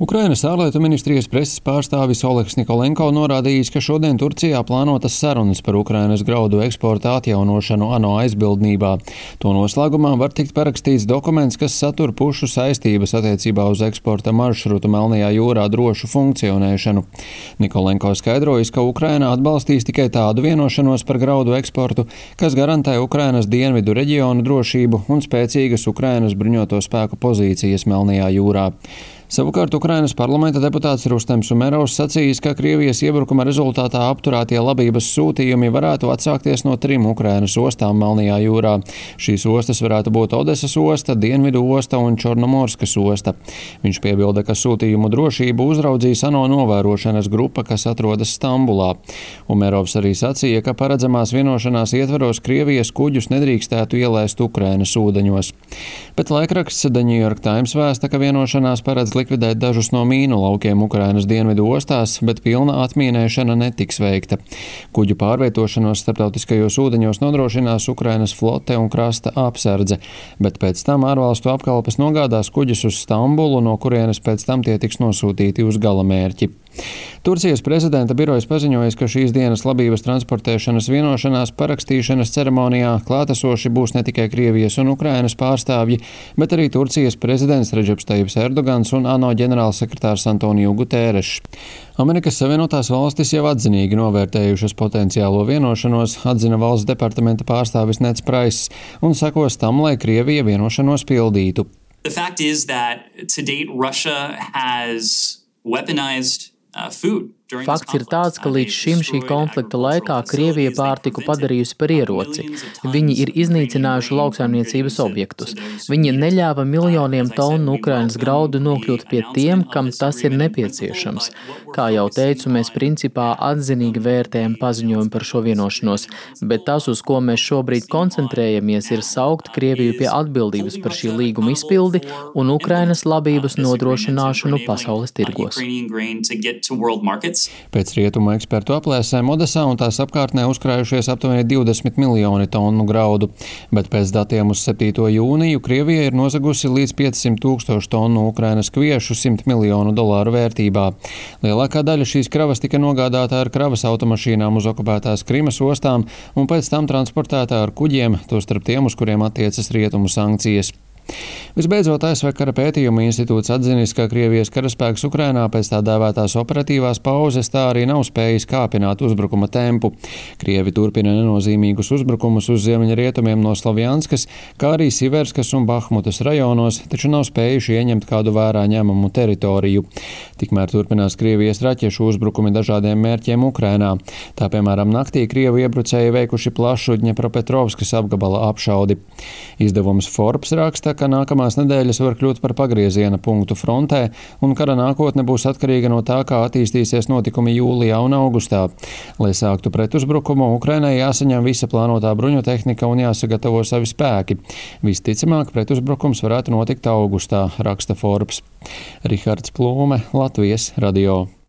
Ukrainas ārlietu ministrijas preses pārstāvis Oļegs Nikolenko norādījis, ka šodien Turcijā plānotas sarunas par Ukrainas graudu eksporta atjaunošanu ANO aizbildnībā. To noslēgumā var tikt parakstīts dokuments, kas satur pušu saistības attiecībā uz eksporta maršrutu Melnajā jūrā drošu funkcionēšanu. Nikolenko skaidrojas, ka Ukraina atbalstīs tikai tādu vienošanos par graudu eksportu, kas garantē Ukrainas dienvidu reģionu drošību un spēcīgas Ukrainas bruņoto spēku pozīcijas Melnajā jūrā. Savukārt Ukrainas parlamenta deputāts Rustems Umerovs sacījis, ka Krievijas iebrukuma rezultātā apturētie labības sūtījumi varētu atsākties no 3 Ukrainas ostām Melnajā jūrā. Šīs ostas varētu būt Odesas osta, Dienvidu osta un Čornomorskas osta. Viņš piebilda, ka sūtījumu drošību uzraudzīs ANO novērošanas grupa, kas atrodas Stambulā. Umerovs arī sacīja, ka paredzamās vienošanās ietvaros Krievijas kuģus nedrīkstētu ielaist Ukrainas ūdeņos. Bet laikraksts The New York Times vēsta, ka vienošanās paredz likvidēt dažus no mīnu laukiem Ukrainas dienvidu ostās, bet pilna atmīnēšana netiks veikta. Kuģu pārvietošanos starptautiskajos ūdeņos nodrošinās Ukrainas flote un krasta apsardze, bet pēc tam ārvalstu apkalpes nogādās kuģus uz Stambulu, no kurienes pēc tam tie tiks nosūtīti uz galamērķi. Turcijas prezidenta birojas paziņojas, ka šīs dienas labības transportēšanas vienošanās parakstīšanas ceremonijā klātesoši būs ne tikai Krievijas un Ukrainas pārstāvji, bet arī Turcijas prezidents Redžeps Tajibs Erdogans un ANO ģenerālsekretārs Antoniju Gutērešs. Amerikas Savienotās valstis jau atzinīgi novērtējušas potenciālo vienošanos, atzina valsts departamenta pārstāvis Neds Praiss, un sekos tam, lai Krievija vienošanos pildītu. The fact is that to date Russia has weaponized food. Fakts ir tāds, ka līdz šim šī konflikta laikā Krievija pārtiku padarījusi par ieroci. Viņi ir iznīcinājuši lauksaimniecības objektus. Viņi neļāva miljoniem tonu Ukrainas graudu nokļūt pie tiem, kam tas ir nepieciešams. Kā jau teicu, mēs principā atzinīgi vērtējam paziņojumu par šo vienošanos, bet tas, uz ko mēs šobrīd koncentrējamies, ir saukt Krieviju pie atbildības par šī līguma izpildi un Ukrainas labības nodrošināšanu pasaules tirgos. Pēc rietumu ekspertu aplēsēm Odesā un tās apkārtnē uzkrājušies aptuveni 20 miljoni tonu graudu, bet pēc datiem uz 7. jūniju Krievija ir nozagusi līdz 500 000 tonu Ukrainas kviešu $100 miljonu vērtībā. Lielākā daļa šīs kravas tika nogādāta ar kravas automašīnām uz okupētās Krimas ostām un pēc tam transportēta ar kuģiem, tostarp tiem, uz kuriem attiecas rietumu sankcijas. Visbeidzot, ASV kara pētījuma institūts atzinis, ka Krievijas karaspēks Ukrainā pēc tā dēvētās operatīvās pauzes tā arī nav spējis kāpināt uzbrukuma tempu. Krievi turpina nenozīmīgus uzbrukumus uz ziemeļrietumiem no Slovjanskas, kā arī Siverskas un Bahmutas rajonos, taču nav spējuši ieņemt kādu vērā ņemamu teritoriju. Tikmēr turpinās Krievijas raķešu uzbrukumi dažādiem mērķiem Ukrainā. Tā, piemēram, naktī Krievu iebrucēji veikuši plašu Dņepropetrovskas apgabala apšaudi. Izdevums Forbes raksta, ka nākamās nedēļas var kļūt par pagrieziena punktu frontē, un kara nākotne būs atkarīga no tā, kā attīstīsies notikumi jūlijā un augustā. Lai sāktu pretuzbrukumu, Ukrainai jāsaņem visa plānotā bruņotehnika un jāsagatavo savi spēki. Visticamāk, pretuzbrukums varētu notikt augustā, raksta Forbes. Rihards Plūme, Latvijas radio.